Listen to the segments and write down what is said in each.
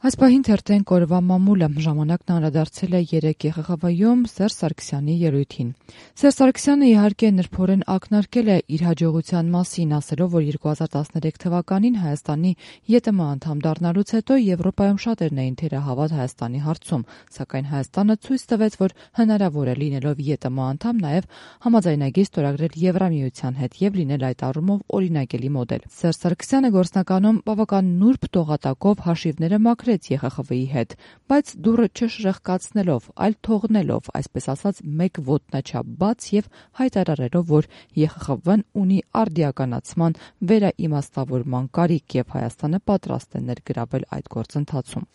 Այս պահին թերթեն կորվա մամուլը ժամանակն անդրադարձել է 3 ԵԽԽՎ-ում Սերժ Սարգսյանի ելույթին։ Սերժ Սարգսյանը իհարկե նրբորեն ակնարկել է իր հաջողության մասին, ասելով, որ 2013 թվականին Հայաստանի ԵՏՄ անդամ դառնալուց հետո Եվրոպայում շատերն էին թերահավատ Հայաստանի հարցում, սակայն Հայաստանը ցույց տվեց, որ հնարավոր է լինելով ԵՏՄ անդամ նաև համաձայնագիր ստորագրել Եվրամիության հետ եւ լինել այդ առումով օրինակելի մոդել։ Սերժ Սարգսյանը գործնականում բավական նուրբ տողատակով հաշիվները մաքրեց ԵԽԽՎ-ի հետ, բայց դուռը չշրխկացնելով, այլ թողնելով, այսպես ասած, մեկ ոտնաչափ բաց եւ հայտարարելով, որ ԵԽԽՎ-ն ունի արդիականացման վերաիմաստավորման կարիք եւ Հայաստանը պատրաստ է ներգրավել այդ գործընթացում։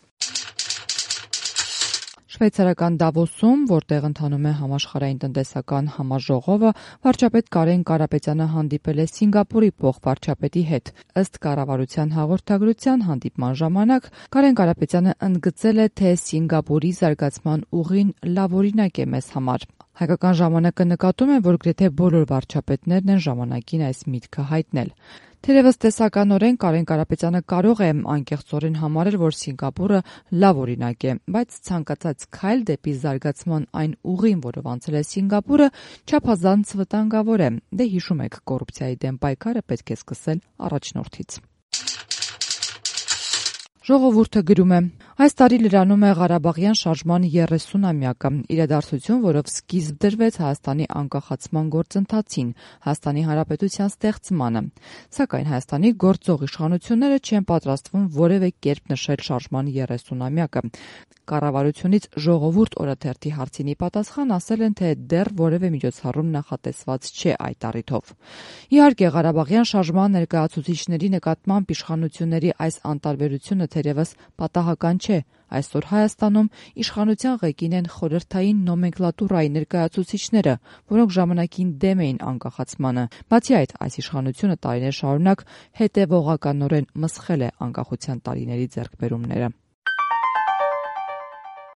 Շվեյցարական Դավոսում, որտեղ ընթանում է համաշխարհային տնտեսական համաժողովը, վարչապետ Կարեն Կարապետյանը հանդիպել է Սինգապուրի փոխվարչապետի հետ։ Ըստ կառավարության հաղորդագրության հանդիպման ժամանակ Կարեն Կարապետյանը ընդգծել է, թե Սինգապուրի զարգացման ուղին լավ օրինակ է մեզ համար։ Հայկական ժամանակը նկատում է, որ գրեթե բոլոր վարչապետներն են ժամանակին այս միտքը հայտնել։ Թերևս տեսականորեն Կարեն Կարապետյանը կարող է անկեղծորեն համարել, որ Սինգապուրը լավ օրինակ է, բայց ցանկացած քայլ դեպի զարգացման այն ուղին, որով անցել է Սինգապուրը, չափազանց վտանգավոր է։ Դե հիշում եք, կոռուպցիայի դեմ պայքարը պետք է սկսել առաջնորդից։ Ժողովուրդը գրում է. այս տարի լրանում է Ղարաբաղյան շարժման 30-ամյակը, իրադարձություն, որով սկիզբ դրվեց Հայաստանի անկախացման գործընթացին, Հայաստանի Հանրապետության ստեղծմանը։ Սակայն Հայաստանի գործող իշխանությունները չեն պատրաստվում որևէ կերպ նշել շարժման 30-ամյակը։ Կառավարությունից Ժողովուրդ օրաթերթի հարցին ի պատասխան ասել են, թե դեռ որևէ միջոցառում նախատեսված չէ այդ առիթով։ Իհարկե, Ղարաբաղյան շարժման ներկայացուցիչների նկատմամբ իշխանությունների այս անտարբերությունը թերևս պատահական չէ։ Այսօր Հայաստանում իշխանության ղեկին են խորհրդային նոմենկլատուրայի ներկայացուցիչները, որոնք ժամանակին դեմ էին անկախացմանը։ Բացի այդ, այս իշխանությունը տարիներ շարունակ հետևողականորեն մսխել է անկախության տարիների ձեռքբերումները։